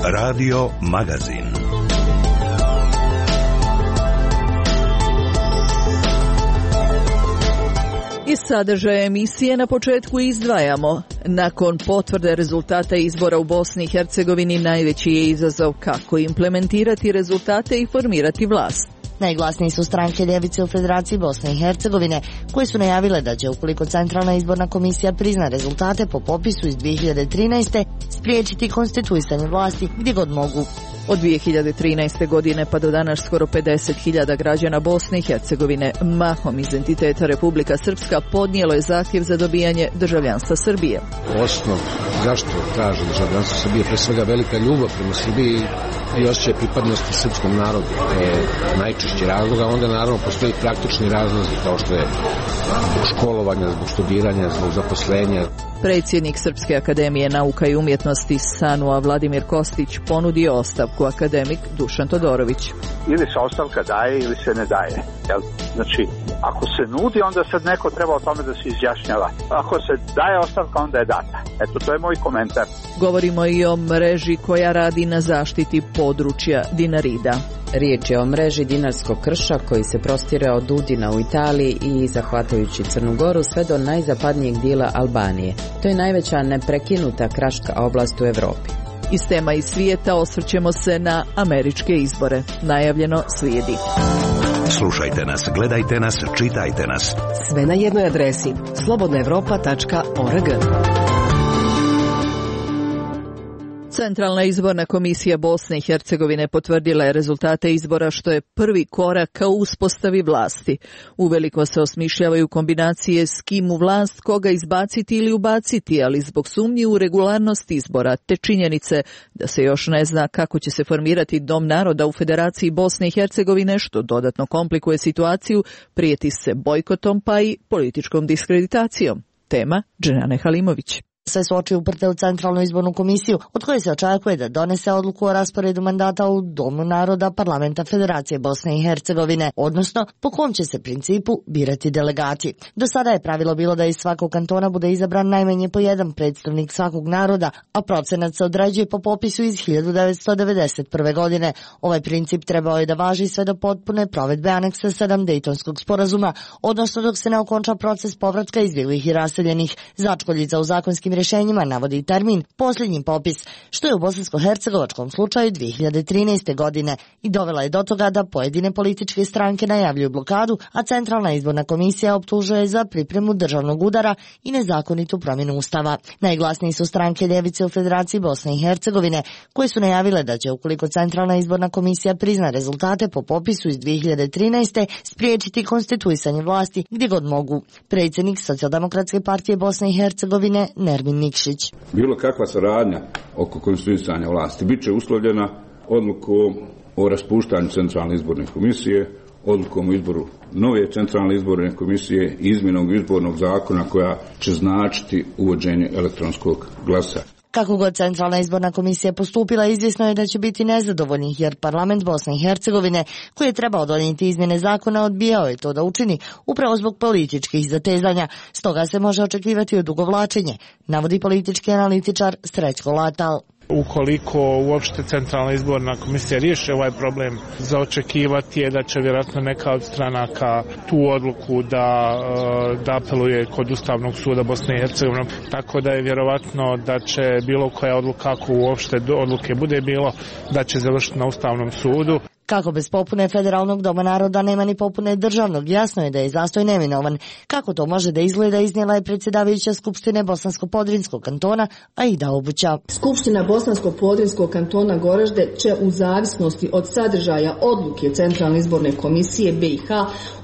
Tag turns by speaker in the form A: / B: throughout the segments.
A: Radio Magazin.
B: Iz sadržaja emisije na početku izdvajamo. Nakon potvrde rezultata izbora u Bosni i Hercegovini najveći je izazov kako implementirati rezultate i formirati vlast.
C: Najglasniji su stranke ljevice u Federaciji Bosne i Hercegovine, koje su najavile da će, ukoliko Centralna izborna komisija prizna rezultate po popisu iz 2013. spriječiti konstituisanje vlasti gdje god mogu.
B: Od 2013. godine pa do danas skoro 50.000 građana Bosne i Hercegovine, mahom iz entiteta Republika Srpska, podnijelo je zahtjev za dobijanje državljanstva Srbije.
D: Osnov zašto traže državljanstvo Srbije, pre svega velika ljubav prema Srbiji i osjećaj pripadnosti srpskom narodu. To je najčešći razlog, a onda naravno postoji praktični razlozi kao što je zbog školovanja, zbog studiranja, zbog zaposlenja.
B: Predsjednik Srpske akademije nauka i umjetnosti SANU-a Vladimir Kostić ponudio ostavku, akademik Dušan Todorović.
E: Ili se ostavka daje ili se ne daje. Znači, ako se nudi, onda sad neko treba o tome da se izjašnjava. Ako se daje ostavka, onda je data. Eto, to je moj komentar.
B: Govorimo i o mreži koja radi na zaštiti područja Dinarida.
F: Riječ je o mreži Dinarskog krša koji se prostire od Udina u Italiji i zahvatajući Crnu Goru sve do najzapadnijeg dijela Albanije. To je najveća neprekinuta kraška oblast u Europi.
B: Iz tema iz svijeta osvrćemo se na američke izbore. Najavljeno slijedi.
A: Slušajte nas, gledajte nas, čitajte nas.
G: Sve na jednoj adresi slobodnaevropa.org.
B: Centralna izborna komisija Bosne i Hercegovine potvrdila je rezultate izbora, što je prvi korak ka uspostavi vlasti. Uveliko se osmišljavaju kombinacije s kim u vlast, koga izbaciti ili ubaciti, ali zbog sumnji u regularnost izbora te činjenice da se još ne zna kako će se formirati Dom naroda u Federaciji Bosne i Hercegovine, što dodatno komplikuje situaciju, prijeti se bojkotom pa i političkom diskreditacijom. Tema Dženane Halimović.
C: Sve su oči uprte u Centralnu izbornu komisiju, od koje se očekuje da donese odluku o rasporedu mandata u Domu naroda Parlamenta Federacije Bosne i Hercegovine, odnosno po kom će se principu birati delegati. Do sada je pravilo bilo da iz svakog kantona bude izabran najmanje po jedan predstavnik svakog naroda, a procenat se određuje po popisu iz 1991. godine. Ovaj princip trebao je da važi sve do potpune provedbe aneksa 7 Dejtonskog sporazuma, odnosno dok se ne okonča proces povratka izbjeglih i raseljenih. Začkoljica u zakonskim rješenjima navodi termin posljednji popis, što je u bosansko-hercegovačkom slučaju 2013. godine i dovela je do toga da pojedine političke stranke najavljuju blokadu, a Centralna izborna komisija optužuje za pripremu državnog udara i nezakonitu promjenu ustava. Najglasniji su stranke ljevice u Federaciji Bosne i Hercegovine, koje su najavile da će, ukoliko Centralna izborna komisija prizna rezultate po popisu iz 2013. spriječiti konstituisanje vlasti gdje god mogu. Predsjednik Socijaldemokratske partije Bosne i Hercegovine Nermin Nikšić.
H: Bilo kakva saradnja oko konstituisanja vlasti biće uslovljena odlukom o raspuštanju Centralne izborne komisije, odlukom o izboru nove Centralne izborne komisije i izmjenom izbornog zakona koja će značiti uvođenje elektronskog glasa.
C: Kako god Centralna izborna komisija postupila, izvjesno je da će biti nezadovoljnih, jer Parlament Bosne i Hercegovine, koji je trebao donijeti izmjene zakona, odbijao je to da učini upravo zbog političkih zatezanja. Stoga se može očekivati odugovlačenje, navodi politički analitičar Srećko Latal.
I: Ukoliko uopšte Centralna izborna komisija riješi ovaj problem, za očekivati je da će vjerojatno neka od stranaka tu odluku da apeluje kod Ustavnog suda Bosne i Hercegovine. Tako da je vjerojatno da će bilo koja odluka, ako uopšte odluke bude bilo, da će završiti na Ustavnom sudu.
C: Kako bez popune Federalnog doma naroda nema ni popune državnog, jasno je da je zastoj neminovan. Kako to može da izgleda, iznijela je predsjedavajuća Skupštine Bosansko-Podrinjskog kantona Aida Obuća.
J: Skupština Bosansko-Podrinjskog kantona Goražde će u zavisnosti od sadržaja odluke Centralne izborne komisije BiH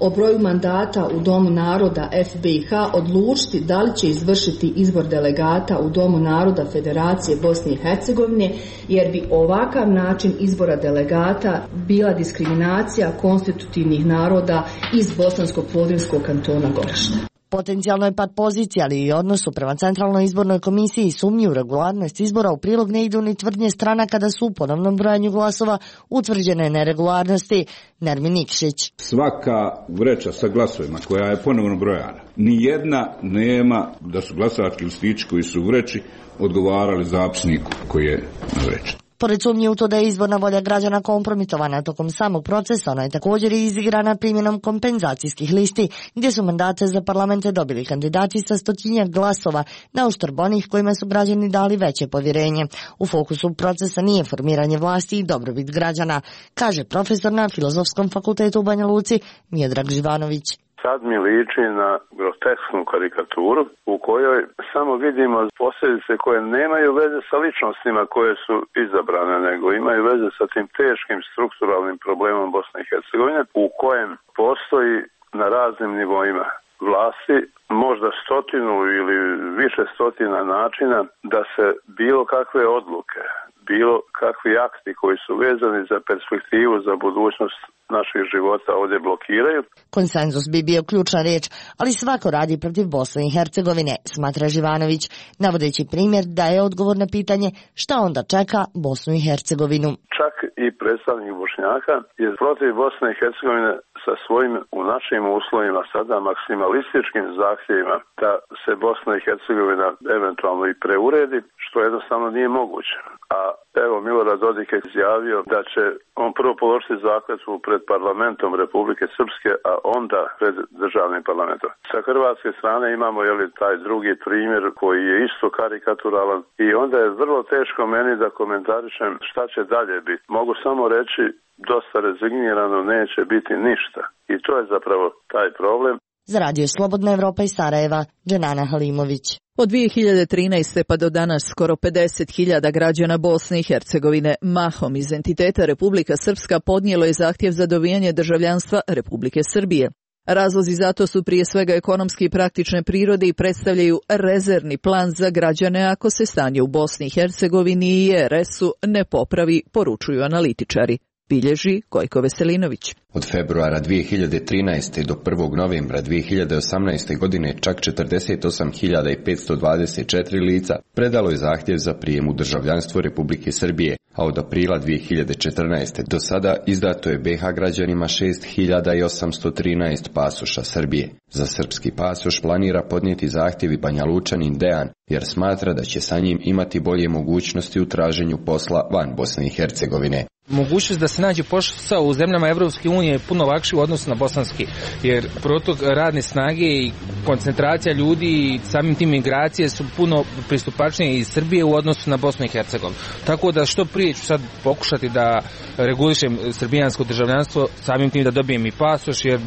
J: o broju mandata u Domu naroda FBiH odlučiti da li će izvršiti izbor delegata u Domu naroda Federacije Bosne i Hercegovine, jer bi ovakav način izbora delegata bila diskriminacija konstitutivnih naroda iz Bosansko-Podrinjskog kantona Goražde.
C: Potencijalno je pad pozicija, ali i odnosu prema Centralnoj izbornoj komisiji i sumnji u regularnost izbora u prilog ne idu ni tvrdnje stranaka da su u ponovnom brojanju glasova utvrđene neregularnosti. Nermin Nikšić.
H: Svaka vreća sa glasovima koja je ponovno brojana, nijedna nema da su glasački listići koji su u vreći odgovarali zapisniku koji je na vreći.
C: Pored sumnje u to da je izborna volja građana kompromitovana tokom samog procesa, ona je također i izigrana primjenom kompenzacijskih listi, gdje su mandate za parlamente dobili kandidati sa 100-tinjak glasova, na uštrb onih kojima su građani dali veće povjerenje. U fokusu procesa nije formiranje vlasti i dobrobit građana, kaže profesor na Filozofskom fakultetu u Banja Luci Miodrag Živanović.
K: Sad mi liči na grotesknu karikaturu u kojoj samo vidimo posljedice koje nemaju veze sa ličnostima koje su izabrane, nego imaju veze sa tim teškim strukturalnim problemom Bosne i Hercegovine u kojem postoji na raznim nivoima vlasti možda 100 ili više stotina načina da se bilo kakve odluke, bilo kakvi akti koji su vezani za perspektivu, za budućnost naših života ovdje blokiraju.
C: Konsenzus bi bio ključna riječ, ali svako radi protiv Bosne i Hercegovine, smatra Živanović, navodeći primjer da je odgovor na pitanje šta onda čeka Bosnu i Hercegovinu.
K: Čak i predstavnik Bošnjaka je protiv Bosne i Hercegovine sa svojim u našim uslovima sada maksimalističkim zahtjevima da se Bosna i Hercegovina eventualno i preuredi, što jednostavno nije moguće. A evo Milorad Dodik je izjavio da će on prvo položiti zakletvu pred parlamentom Republike Srpske, a onda pred državnim parlamentom. Sa hrvatske strane imamo taj drugi primjer koji je isto karikaturalan i onda je vrlo teško meni da komentarišem šta će dalje biti. Mogu samo reći dosta rezignirano neće biti ništa. I to je zapravo taj problem.
C: Za Radio Slobodna Evropa iz Sarajeva, Dženana Halimović.
B: Od 2013. pa do danas skoro 50.000 građana Bosne i Hercegovine, mahom iz entiteta Republika Srpska, podnijelo je zahtjev za dobijanje državljanstva Republike Srbije. Razlozi za to su prije svega ekonomski i praktične prirode i predstavljaju rezervni plan za građane ako se stanje u Bosni i Hercegovini i RS-u ne popravi, poručuju analitičari. Bilježi Gojko Veselinović.
L: Od februara 2013. do 1. novembra 2018. godine čak 48.524 lica predalo je zahtjev za prijem u državljanstvo Republike Srbije, a od aprila 2014. do sada izdato je BiH građanima 6.813 pasoša Srbije. Za srpski pasoš planira podnijeti zahtjev i Banja Lučanin Dejan, jer smatra da će sa njim imati bolje mogućnosti u traženju posla van Bosne i Hercegovine.
M: Mogućnost da se nađe posao u zemljama Evropske unije je puno lakši u odnosu na bosanski, jer protok radne snage i koncentracija ljudi i samim tim migracije su puno pristupačnije iz Srbije u odnosu na Bosnu i Hercegovinu. Tako da što prije ću sad pokušati da regulišem srbijansko državljanstvo, samim tim da dobijem i pasoš, jer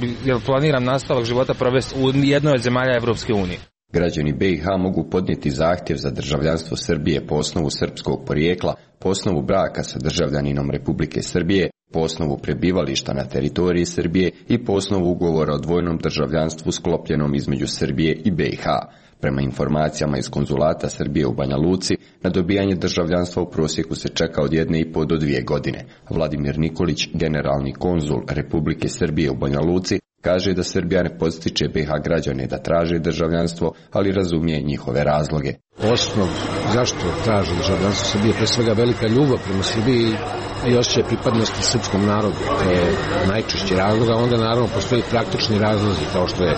M: planiram nastavak života provesti u jednoj od zemalja Evropske unije.
L: Građani BiH mogu podnijeti zahtjev za državljanstvo Srbije po osnovu srpskog porijekla, po osnovu braka sa državljaninom Republike Srbije, po osnovu prebivališta na teritoriji Srbije i po osnovu ugovora o dvojnom državljanstvu sklopljenom između Srbije i BiH. Prema informacijama iz konzulata Srbije u Banja Luci, na dobijanje državljanstva u prosjeku se čeka od 1,5 do 2 godine. Vladimir Nikolić, generalni konzul Republike Srbije u Banja Luci, kaže da Srbija ne podstiče BiH građane da traže državljanstvo, ali razumije njihove razloge.
D: Osnov zašto traže državljanstvo Srbije, pre svega velika ljubav prema Srbiji i osjećaj pripadnosti srpskom narodu. To je najčešći razlog, a onda naravno postoji praktični razlozi, kao što je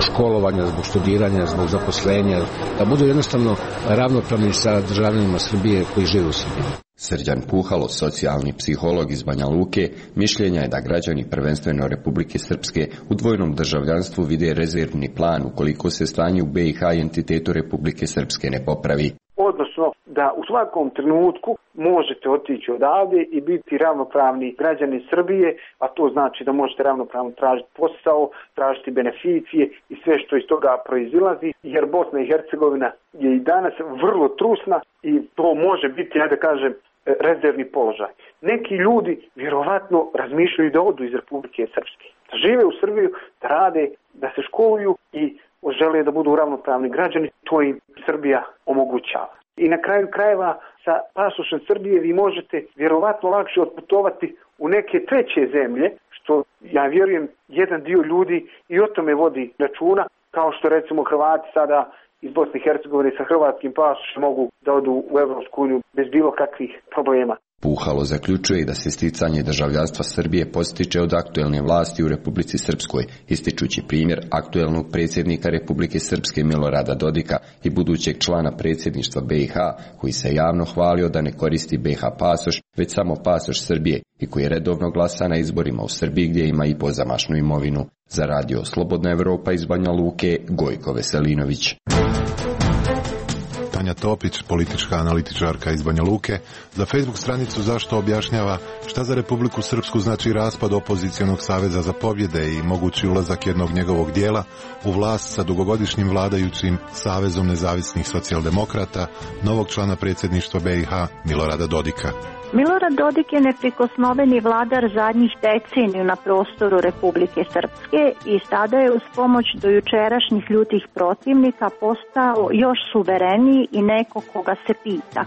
D: školovanje, zbog studiranja, zbog zaposlenja, da budu jednostavno ravnopravni sa državljanima Srbije koji žive u Srbiji.
L: Srđan Puhalo, socijalni psiholog iz Banja Luke, mišljenja je da građani prvenstveno Republike Srpske u dvojnom državljanstvu vide rezervni plan ukoliko se stanje u BiH i entitetu Republike Srpske ne popravi.
N: Odnosno da u svakom trenutku možete otići odavde i biti ravnopravni građani Srbije, a to znači da možete ravnopravno tražiti posao, tražiti beneficije i sve što iz toga proizilazi, jer Bosna i Hercegovina je i danas vrlo trusna i to može biti, ja da kažem, rezervni položaj. Neki ljudi vjerovatno razmišljaju da odu iz Republike Srpske, da žive u Srbiju, da rade, da se školuju i žele da budu ravnopravni građani, to im Srbija omogućava. I na kraju krajeva sa pasošem Srbije vi možete vjerovatno lakše otputovati u neke treće zemlje, što ja vjerujem jedan dio ljudi i o tome vodi računa kao što recimo Hrvati sada iz Bosne i Hercegovine sa hrvatskim pasošem mogu da odu u Evropsku uniju bez bilo kakvih problema.
L: Puhalo zaključuje da se sticanje državljanstva Srbije postiče od aktuelne vlasti u Republici Srpskoj, ističući primjer aktuelnog predsjednika Republike Srpske Milorada Dodika i budućeg člana predsjedništva BiH, koji se javno hvalio da ne koristi BiH pasoš, već samo pasoš Srbije i koji redovno glasa na izborima u Srbiji gdje ima i pozamašnu imovinu. Za radio Slobodna Evropa iz Banja Luke, Gojko Veselinović.
O: Tanja Topić, politička analitičarka iz Banja Luke, za Facebook stranicu Zašto objašnjava šta za Republiku Srpsku znači raspad opozicionog saveza za pobjede i mogući ulazak jednog njegovog dijela u vlast sa dugogodišnjim vladajućim Savezom nezavisnih socijaldemokrata, novog člana predsjedništva BiH Milorada Dodika.
P: Milorad Dodik je neprikosnoveni vladar zadnjih deceniju na prostoru Republike Srpske i sada je uz pomoć dojučerašnjih ljutih protivnika postao još suvereniji i neko koga se pita.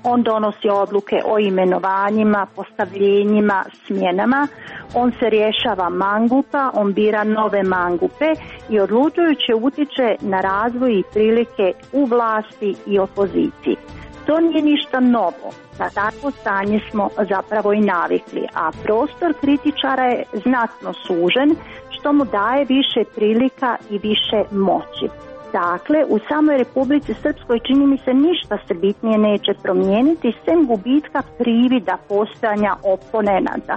P: On donosi odluke o imenovanjima, postavljenjima, smjenama, on se rješava mangupa, on bira nove mangupe i odlučujuće utiče na razvoj i prilike u vlasti i opoziciji. To nije ništa novo. Na takvo stanje smo zapravo i navikli, a prostor kritičara je znatno sužen, što mu daje više prilika i više moći. Dakle, u samoj Republici Srpskoj čini mi se ništa se bitnije neće promijeniti, sem gubitka privida postojanja oponenata.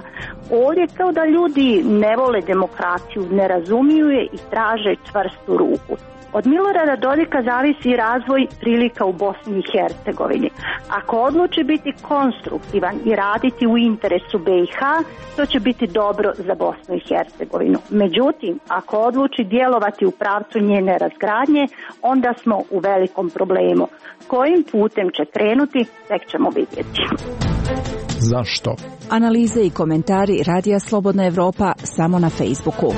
P: Ovdje kao da ljudi ne vole demokraciju, ne razumiju je i traže čvrstu ruku. Od Milorada Dodika zavisi razvoj prilika u Bosni i Hercegovini. Ako odluči biti konstruktivan i raditi u interesu BiH, to će biti dobro za Bosnu i Hercegovinu. Međutim, ako odluči djelovati u pravcu njene razgradnje, onda smo u velikom problemu. Kojim putem će krenuti, tek ćemo vidjeti.
Q: Zašto?
R: Analize i komentari Radija Slobodna Evropa samo na Facebooku.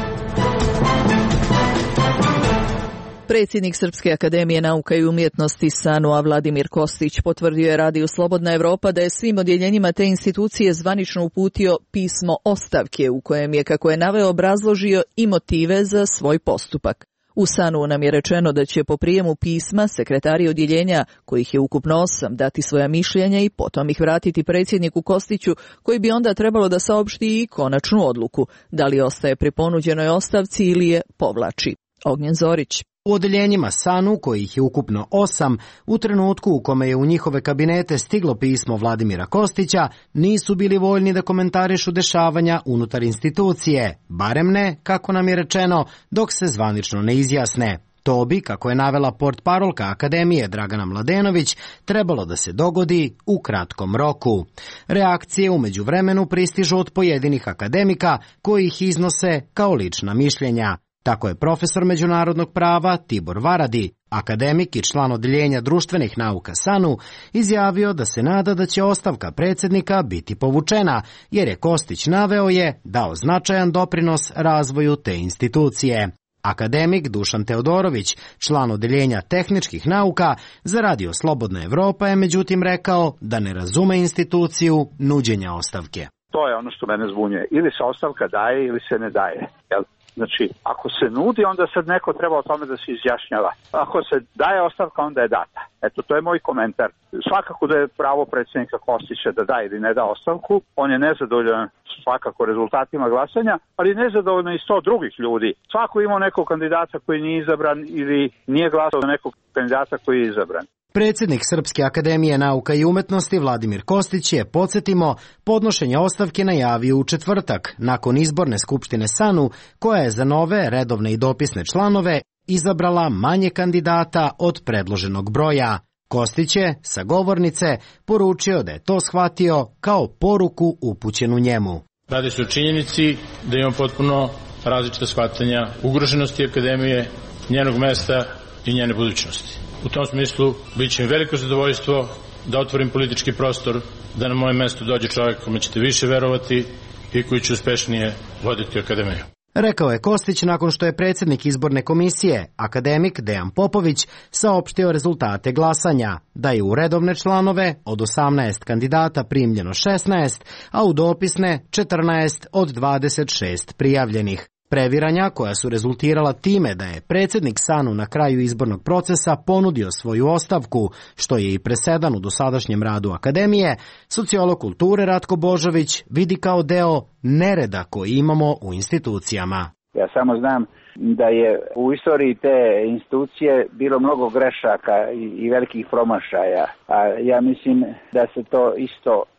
B: Predsjednik Srpske akademije nauka i umjetnosti SANU Vladimir Kostić potvrdio je Radiju Slobodna Evropa da je svim odjeljenjima te institucije zvanično uputio pismo ostavke u kojem je, kako je naveo, obrazložio i motive za svoj postupak. U SANU nam je rečeno da će po prijemu pisma sekretari odjeljenja, kojih je ukupno 8, dati svoja mišljenja i potom ih vratiti predsjedniku Kostiću, koji bi onda trebalo da saopšti i konačnu odluku, da li ostaje pri ponuđenoj ostavci ili je povlači. Ognjen Zorić.
S: U odeljenjima SANU, kojih je ukupno 8, u trenutku u kome je u njihove kabinete stiglo pismo Vladimira Kostića, nisu bili voljni da komentarišu dešavanja unutar institucije, barem ne, kako nam je rečeno, dok se zvanično ne izjasne. To bi, kako je navela portparolka Akademije Dragana Mladenović, trebalo da se dogodi u kratkom roku. Reakcije u međuvremenu pristižu od pojedinih akademika koji ih iznose kao lična mišljenja. Tako je profesor međunarodnog prava Tibor Varadi, akademik i član odeljenja društvenih nauka SANU, izjavio da se nada da će ostavka predsjednika biti povučena, jer je Kostić naveo je dao značajan doprinos razvoju te institucije. Akademik Dušan Teodorović, član odeljenja tehničkih nauka, za Radio Slobodna Evropa je međutim rekao da ne razume instituciju nuđenja ostavke.
E: To je ono što mene zbunjuje. Ili se ostavka daje ili se ne daje. Jel? Znači, ako se nudi, onda sad neko treba o tome da se izjašnjava. Ako se daje ostavka, onda je data. Eto, to je moj komentar. Svakako da je pravo predsjednika Kostića da da ili ne da ostavku. On je nezadovoljan svakako rezultatima glasanja, ali nezadovoljno i 100 drugih ljudi. Svako ima nekog kandidata koji nije izabran ili nije glasao za nekog kandidata koji je izabran.
S: Predsjednik Srpske akademije nauka i umjetnosti Vladimir Kostić je, podsjetimo, podnošenje ostavke najavio u četvrtak, nakon izborne skupštine SANU, koja je za nove redovne i dopisne članove izabrala manje kandidata od predloženog broja. Kostić je, sa govornice, poručio da je to shvatio kao poruku upućenu njemu.
T: Radi se o činjenici da imamo potpuno različita shvatanja ugroženosti akademije, njenog mesta i njene budućnosti. U tom smislu bit će mi veliko zadovoljstvo da otvorim politički prostor, da na moje mesto dođe čovjek kome ćete više verovati i koji će uspešnije voditi akademiju.
S: Rekao je Kostić nakon što je predsjednik izborne komisije, akademik Dejan Popović, saopštio rezultate glasanja, da je u redovne članove od 18 kandidata primljeno 16, a u dopisne 14 od 26 prijavljenih. Previranja koja su rezultirala time da je predsjednik SANU na kraju izbornog procesa ponudio svoju ostavku, što je i presedan u dosadašnjem radu akademije, sociolog kulture Ratko Božović vidi kao deo nereda koji imamo u institucijama.
U: Ja samo znam da je u istoriji te institucije bilo mnogo grešaka i velikih promašaja, a ja mislim da se to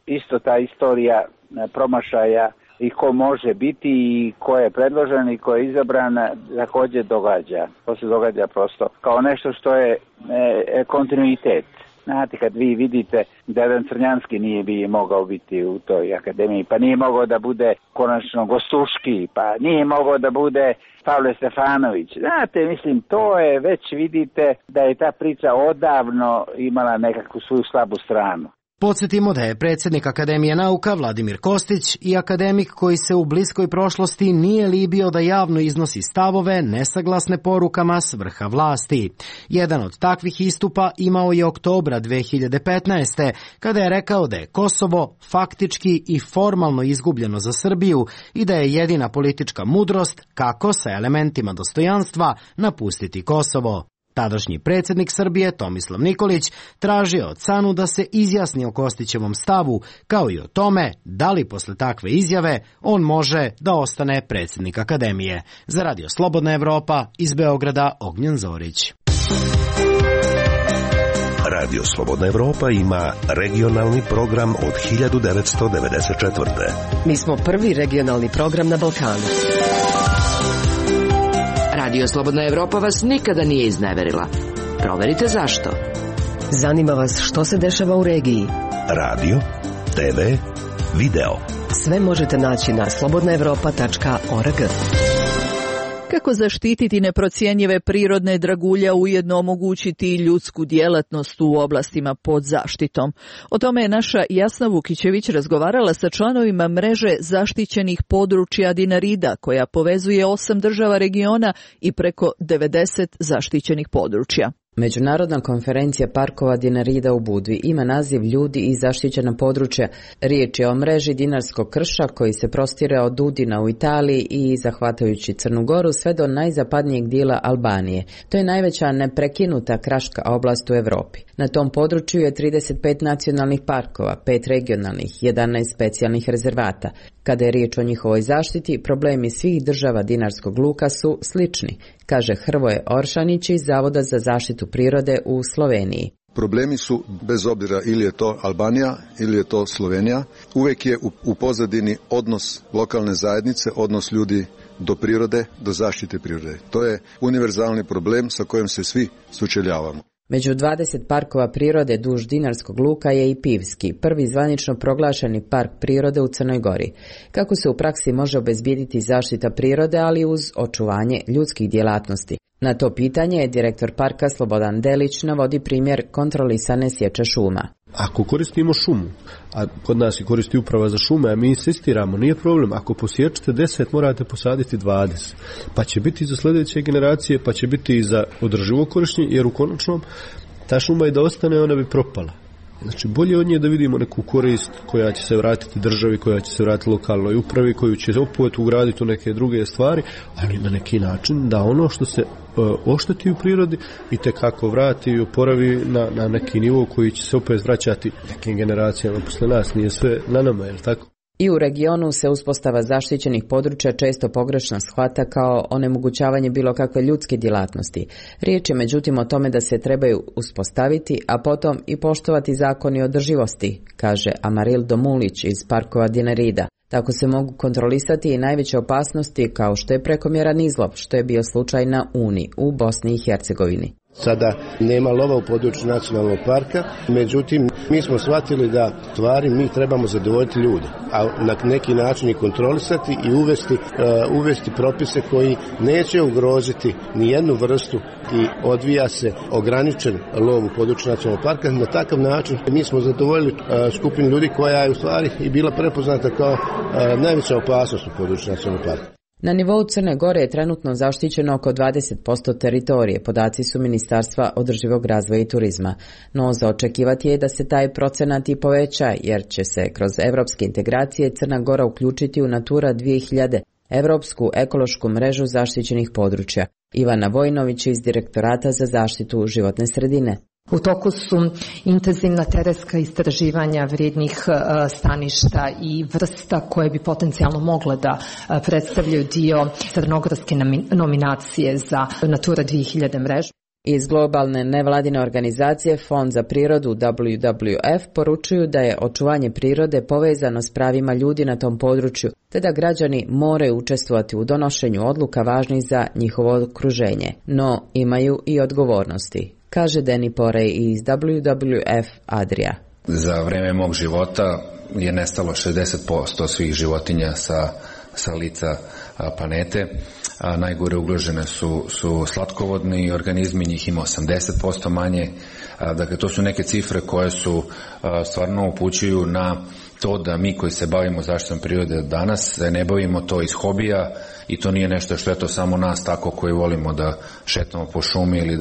U: isto ta istorija promašaja i ko može biti i ko je predložen i ko je izabran također događa. To se događa prosto kao nešto što je kontinuitet. Znate, kad vi vidite da jedan Crnjanski nije bi mogao biti u toj akademiji, pa nije mogao da bude konačno Gostuški, pa nije mogao da bude Pavle Stefanović. Znate, mislim, to je već vidite da je ta priča odavno imala nekakvu svoju slabu stranu.
S: Podsjetimo da je predsjednik Akademije nauka Vladimir Kostić i akademik koji se u bliskoj prošlosti nije libio da javno iznosi stavove nesaglasne porukama s vrha vlasti. Jedan od takvih istupa imao je oktobra 2015. kada je rekao da je Kosovo faktički i formalno izgubljeno za Srbiju i da je jedina politička mudrost kako sa elementima dostojanstva napustiti Kosovo. Tadašnji predsjednik Srbije Tomislav Nikolić tražio od SANU da se izjasni o Kostićevom stavu, kao i o tome da li posle takve izjave on može da ostane predsjednik Akademije. Za Radio Slobodna Evropa iz Beograda Ognjen Zorić.
A: Radio Slobodna Evropa ima regionalni program od 1994.
G: Mi smo prvi regionalni program na Balkanu. Radio Slobodna Evropa vas nikada nije izneverila. Proverite zašto. Zanima vas što se dešava u regiji.
A: Radio, TV, video.
G: Sve možete naći na slobodnaevropa.org.
B: Kako zaštititi neprocjenjive prirodne dragulje, ujedno omogućiti ljudsku djelatnost u oblastima pod zaštitom? O tome je naša Jasna Vukićević razgovarala sa članovima mreže zaštićenih područja Dinarida, koja povezuje 8 država regiona i preko 90 zaštićenih područja.
F: Međunarodna konferencija parkova Dinarida u Budvi ima naziv Ljudi i zaštićena područja. Riječ je o mreži Dinarskog krša koji se prostire od Udina u Italiji i zahvatajući Crnu Goru sve do najzapadnijeg dijela Albanije. To je najveća neprekinuta kraška oblast u Europi. Na tom području je 35 nacionalnih parkova, 5 regionalnih, 11 specijalnih rezervata. Kada je riječ o njihovoj zaštiti, problemi svih država Dinarskog luka su slični, kaže Hrvoje Oršanić iz Zavoda za zaštitu prirode u Sloveniji.
V: Problemi su, bez obzira ili je to Albanija ili je to Slovenija, uvijek je u pozadini odnos lokalne zajednice, odnos ljudi do prirode, do zaštite prirode. To je univerzalni problem sa kojim se svi sučeljavamo.
F: Među 20 parkova prirode duž Dinarskog luka je i Pivski, prvi zvanično proglašeni park prirode u Crnoj Gori. Kako se u praksi može obezbijediti zaštita prirode, ali uz očuvanje ljudskih djelatnosti? Na to pitanje je direktor parka Slobodan Delić navodi primjer kontrolisane sječe šuma.
W: Ako koristimo šumu, a kod nas i koristi uprava za šume, a mi insistiramo, nije problem, ako posječete 10, morate posaditi 20. Pa će biti za sljedeće generacije, pa će biti i za održivo korištenje, jer u konačnom ta šuma i da ostane, ona bi propala. Znači, bolje od nje da vidimo neku korist koja će se vratiti državi, koja će se vratiti lokalnoj upravi, koju će opet ugraditi u neke druge stvari, ali na neki način da ono što se ošteti u prirodi i tekako vrati i oporavi na neki nivo koji će se opet vraćati nekim generacijama posle nas. Nije sve na nama, je li tako?
F: I u regionu se uspostava zaštićenih područja često pogrešno shvata kao onemogućavanje bilo kakve ljudske djelatnosti. Riječ je međutim o tome da se trebaju uspostaviti, a potom i poštovati zakoni održivosti, kaže Amaril Domulić iz parkova Dinarida. Tako se mogu kontrolisati i najveće opasnosti kao što je prekomjeran izlov, što je bio slučaj na Uni u Bosni i Hercegovini.
X: Sada nema lova u području nacionalnog parka, međutim mi smo shvatili da stvari mi trebamo zadovoljiti ljude, a na neki način i kontrolisati i uvesti propise koji neće ugroziti ni jednu vrstu i odvija se ograničen lov u području nacionalnog parka. Na takav način mi smo zadovoljili skupinu ljudi koja je u stvari i bila prepoznata kao najveća opasnost u području nacionalnog parka.
F: Na nivou Crne Gore je trenutno zaštićeno oko 20% teritorije, podaci su Ministarstva održivog razvoja i turizma. No za očekivati je da se taj procenat i poveća, jer će se kroz evropske integracije Crna Gora uključiti u Natura 2000. Evropsku ekološku mrežu zaštićenih područja. Ivana Vojnović iz Direktorata za zaštitu životne sredine.
H: U toku su intenzivna terenska istraživanja vrijednih staništa i vrsta koje bi potencijalno mogle da predstavljaju dio crnogorske nominacije za Natura 2000 mrežu.
F: Iz globalne nevladine organizacije Fond za prirodu WWF poručuju da je očuvanje prirode povezano s pravima ljudi na tom području, te da građani moraju učestvovati u donošenju odluka važnih za njihovo okruženje, no imaju i odgovornosti, kaže Danny Porey iz WWF Adria.
I: Za vreme mog života je nestalo 60% svih životinja sa lica planete. Najgore ugrožene su slatkovodni organizmi, njih ima 80% manje. Dakle, to su neke cifre koje su stvarno upućuju na to da mi koji se bavimo zaštitom prirode danas ne bavimo to iz hobija i to nije nešto što je to samo nas tako koji volimo da šetamo po šumi ili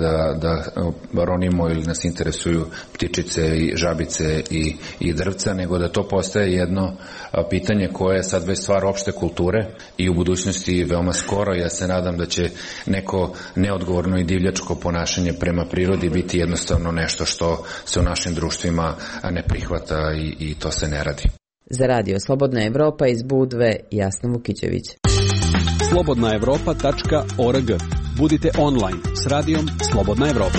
I: da ronimo ili nas interesuju ptičice i žabice i drvca, nego da to postaje jedno pitanje koje je sad već stvar opšte kulture i u budućnosti veoma skoro. Ja se nadam da će neko neodgovorno i divljačko ponašanje prema prirodi biti jednostavno nešto što se u našim društvima ne prihvata i to se ne radi.
F: Za Radio Slobodna Evropa iz Budve, Jasna Vukićević.
J: slobodnaevropa.org. Budite online s radijom Slobodna Evropa.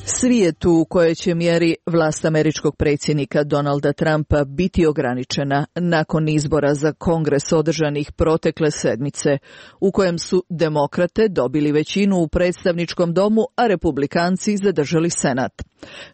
B: Svijetu u kojoj će mjeri vlast američkog predsjednika Donalda Trumpa biti ograničena nakon izbora za Kongres održanih protekle sedmice, u kojem su demokrate dobili većinu u predstavničkom domu, a republikanci zadržali senat.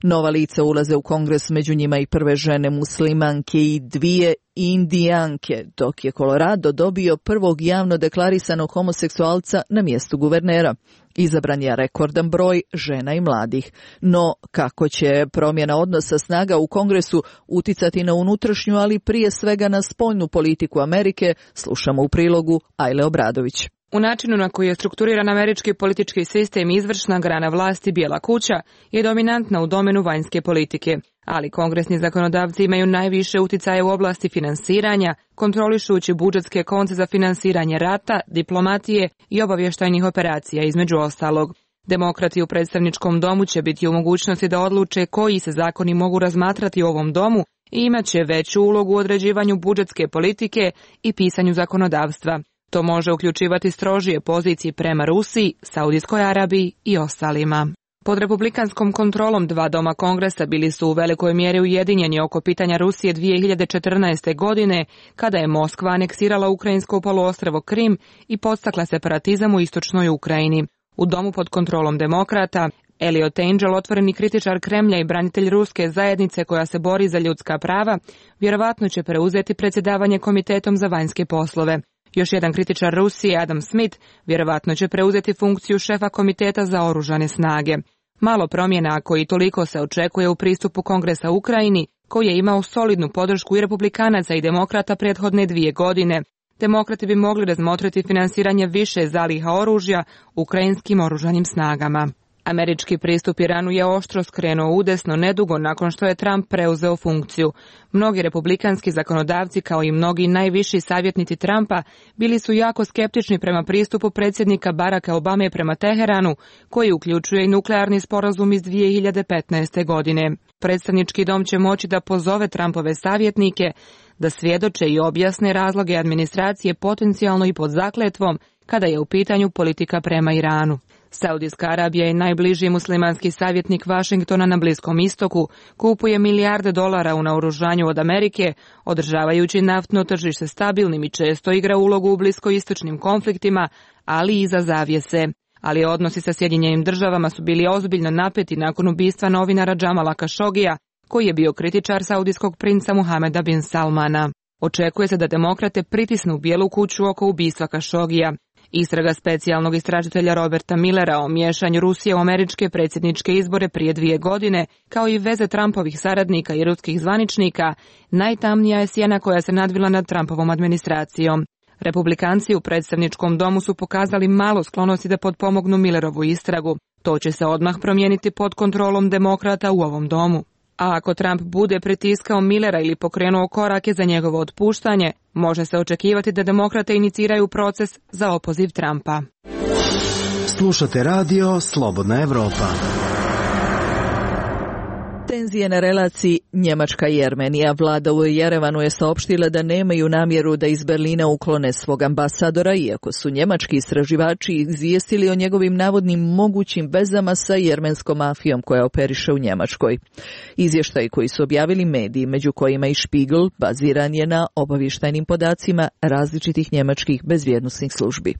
B: Nova lica ulaze u Kongres, među njima i prve žene muslimanke i dvije indijanke, dok je Colorado dobio prvog javno deklarisanog homoseksualca na mjestu guvernera. Izabran je rekordan broj žena i mladih. No, kako će promjena odnosa snaga u Kongresu uticati na unutrašnju, ali prije svega na spoljnu politiku Amerike, slušamo u prilogu Ajle Obradović.
K: U načinu na koji je strukturiran američki politički sistem, izvršna grana vlasti, Bijela kuća, je dominantna u domenu vanjske politike, ali kongresni zakonodavci imaju najviše uticaja u oblasti finansiranja, kontrolišući budžetske konce za finansiranje rata, diplomatije i obavještajnih operacija, između ostalog. Demokrati u predstavničkom domu će biti u mogućnosti da odluče koji se zakoni mogu razmatrati u ovom domu i imat će veću ulogu u određivanju budžetske politike i pisanju zakonodavstva. To može uključivati strožije pozicije prema Rusiji, Saudijskoj Arabiji i ostalima. Pod republikanskom kontrolom dva doma Kongresa bili su u velikoj mjeri ujedinjeni oko pitanja Rusije 2014. godine, kada je Moskva aneksirala ukrajinsko poluostrvo Krim i podstakla separatizam u istočnoj Ukrajini. U domu pod kontrolom demokrata, Eliot Engel, otvoreni kritičar Kremlja i branitelj ruske zajednice koja se bori za ljudska prava, vjerovatno će preuzeti predsjedavanje Komitetom za vanjske poslove. Još jedan kritičar Rusije, Adam Smith, vjerovatno će preuzeti funkciju šefa Komiteta za oružane snage. Malo promjena, ako i toliko, se očekuje u pristupu Kongresa Ukrajini, koji je imao solidnu podršku i republikanaca i demokrata prethodne 2 godine. Demokrati bi mogli razmotriti finansiranje više zaliha oružja ukrajinskim oružanim snagama. Američki pristup Iranu je oštro skrenuo udesno nedugo nakon što je Trump preuzeo funkciju. Mnogi republikanski zakonodavci, kao i mnogi najviši savjetnici Trumpa, bili su jako skeptični prema pristupu predsjednika Baracka Obame prema Teheranu, koji uključuje i nuklearni sporazum iz 2015. godine. Predstavnički dom će moći da pozove Trumpove savjetnike da svjedoče i objasne razloge administracije potencijalno i pod zakletvom kada je u pitanju politika prema Iranu. Saudijska Arabija je najbliži muslimanski savjetnik Vašingtona na Bliskom istoku, kupuje milijarde dolara u naoružanju od Amerike, održavajući naftno tržište stabilnim i često igra ulogu u bliskoistočnim konfliktima, ali i iza zavjese. Ali odnosi sa Sjedinjenim državama su bili ozbiljno napeti nakon ubistva novinara Džamala Kašogija, koji je bio kritičar saudijskog princa Muhameda bin Salmana. Očekuje se da demokrate pritisnu Bijelu kuću oko ubistva Kašogija. Istraga specijalnog istražitelja Roberta Millera o miješanju Rusije u američke predsjedničke izbore prije 2 godine, kao i veze Trumpovih saradnika i ruskih zvaničnika, najtamnija je sjena koja se nadvila nad Trumpovom administracijom. Republikanci u predstavničkom domu su pokazali malo sklonosti da potpomognu Millerovu istragu. To će se odmah promijeniti pod kontrolom demokrata u ovom domu. A ako Trump bude pritiskao Millera ili pokrenuo korake za njegovo otpuštanje, može se očekivati da demokrate iniciraju proces za opoziv Trumpa.
S: Slušate radio Slobodna Evropa.
B: Tenzije na relaciji Njemačka i Jermenija. Vlada u Jerevanu je saopštila da nemaju namjeru da iz Berlina uklone svog ambasadora, iako su njemački istraživači izvijestili o njegovim navodnim mogućim vezama sa jermenskom mafijom koja operiše u Njemačkoj. Izvještaj koji su objavili mediji, među kojima i Spiegel, baziran je na obavještajnim podacima različitih njemačkih bezbjednosnih službi.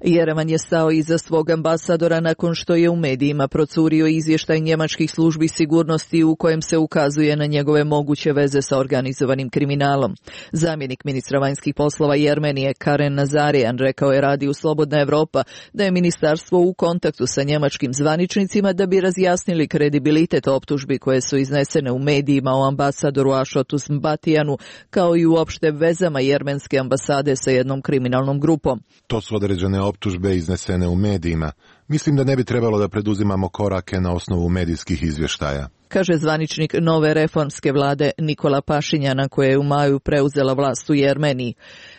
B: Jerevan je stao iza svog ambasadora nakon što je u medijima procurio izvještaj njemačkih službi sigurnosti u kojem se ukazuje na njegove moguće veze sa organizovanim kriminalom. Zamjenik ministra vanjskih poslova Jermenije Karen Nazarian rekao je radiju Slobodna Evropa da je ministarstvo u kontaktu sa njemačkim zvaničnicima da bi razjasnili kredibilitet optužbi koje su iznesene u medijima o ambasadoru Ašotu Zmbatijanu, kao i uopšte vezama jermenske ambasade sa jednom kriminalnom grupom.
O: To su određene optužbe iznesene u medijima. Mislim da ne bi trebalo da preduzimamo korake na osnovu medijskih izvještaja,
B: kaže zvaničnik nove reformske vlade Nikola Pašinjana, koja je u maju preuzela vlast u Jermeniji.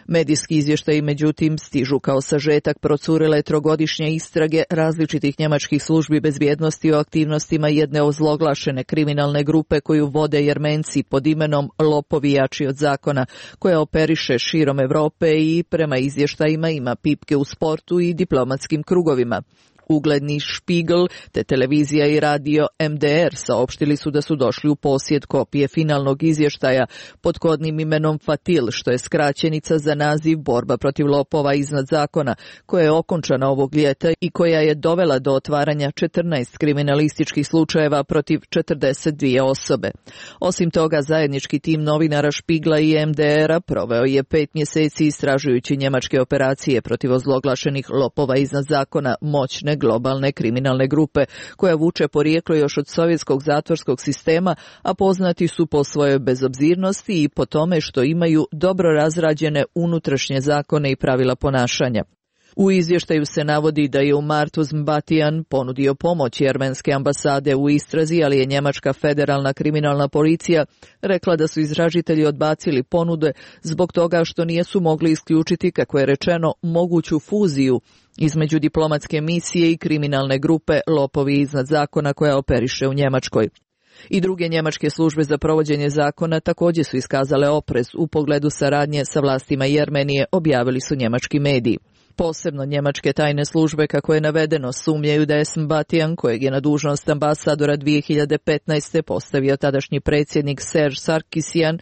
B: Medijski izvještaji, međutim, stižu kao sažetak procurele trogodišnje istrage različitih njemačkih službi bezbjednosti o aktivnostima jedne ozloglašene kriminalne grupe koju vode Jermenci pod imenom Lopovi jači od zakona, koja operiše širom Evrope i prema izvještajima ima pipke u sportu i diplomatskim krugovima. Ugledni Spiegel te televizija i radio MDR saopštili su da su došli u posjed kopije finalnog izvještaja pod kodnim imenom Fatil, što je skraćenica za naziv Borba protiv lopova iznad zakona, koja je okončana ovog ljeta i koja je dovela do otvaranja 14 kriminalističkih slučajeva protiv 42 osobe. Osim toga, zajednički tim novinara Spiegla i MDR-a proveo je 5 mjeseci istražujući njemačke operacije protiv ozloglašenih lopova iznad zakona, moćne globalne kriminalne grupe, koja vuče porijeklo još od sovjetskog zatvorskog sistema, a poznati su po svojoj bezobzirnosti i po tome što imaju dobro razrađene unutrašnje zakone i pravila ponašanja. U izvještaju se navodi da je u martu Zmbatijan ponudio pomoć jermenske ambasade u istrazi, ali je njemačka federalna kriminalna policija rekla da su istražitelji odbacili ponude zbog toga što nisu mogli isključiti, kako je rečeno, moguću fuziju između diplomatske misije i kriminalne grupe Lopovi iznad zakona koja operiše u Njemačkoj. I druge njemačke službe za provođenje zakona također su iskazale oprez u pogledu saradnje sa vlastima Jermenije, objavili su njemački mediji. Posebno njemačke tajne službe, kako je navedeno, sumnjaju da je Zmbatijan, kojeg je na dužnost ambasadora 2015. postavio tadašnji predsjednik Serge Sarkisyan,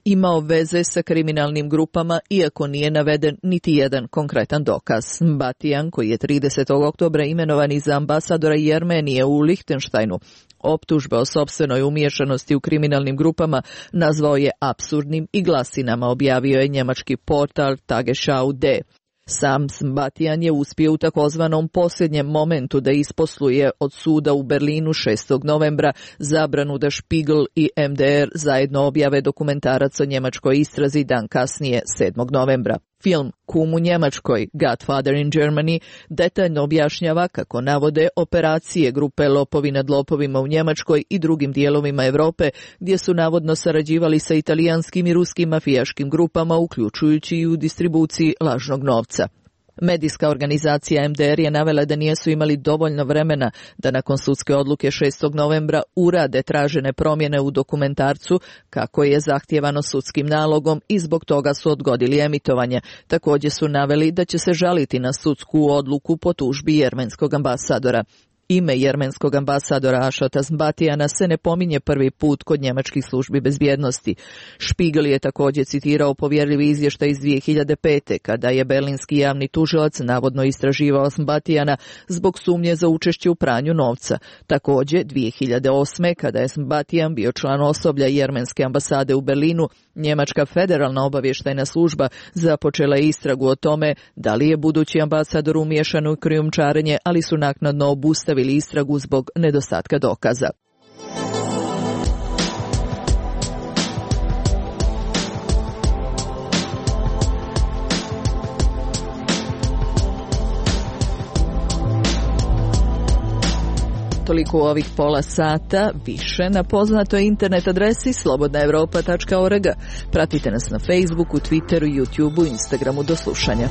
B: imao veze sa kriminalnim grupama, iako nije naveden niti jedan konkretan dokaz. Zmbatijan, koji je 30. oktobra imenovan za ambasadora Jermenije u Lihtenštajnu, optužbe o sopstvenoj umiješanosti u kriminalnim grupama nazvao je apsurdnim i glasinama, objavio je njemački portal Tagesschau D. Sam Zmbatijan je uspio u takozvanom posljednjem momentu da isposluje od suda u Berlinu 6. novembra zabranu da Spiegel i MDR zajedno objave dokumentarac o njemačkoj istrazi dan kasnije 7. novembra. Film Kum u Njemačkoj, Godfather in Germany, detaljno objašnjava kako navode operacije grupe Lopovi nad lopovima u Njemačkoj i drugim dijelovima Europe, gdje su navodno sarađivali sa italijanskim i ruskim mafijaškim grupama, uključujući i u distribuciji lažnog novca. Medijska organizacija MDR je navela da nisu imali dovoljno vremena da nakon sudske odluke 6. novembra urade tražene promjene u dokumentarcu, kako je zahtijevano sudskim nalogom, i zbog toga su odgodili emitovanje. Također su naveli da će se žaliti na sudsku odluku po tužbi jermenskog ambasadora. Ime jermenskog ambasadora Ašota Zmbatijana se ne pominje prvi put kod njemačkih službi bezbjednosti. Spiegel je također citirao povjerljivi izvještaj iz 2005. kada je berlinski javni tužilac navodno istraživao Zmbatijana zbog sumnje za učešće u pranju novca. Također 2008. kada je Zmbatijan bio član osoblja jermenske ambasade u Berlinu, njemačka federalna obavještajna služba započela je istragu o tome da li je budući ambasador umiješan u krijumčarenje, ali su naknadno obustavili istragu zbog nedostatka dokaza. toliko u ovih pola sata, više na poznatoj internet adresi slobodnaevropa.org. Pratite nas na Facebooku, Twitteru, YouTubeu, Instagramu. Do slušanja.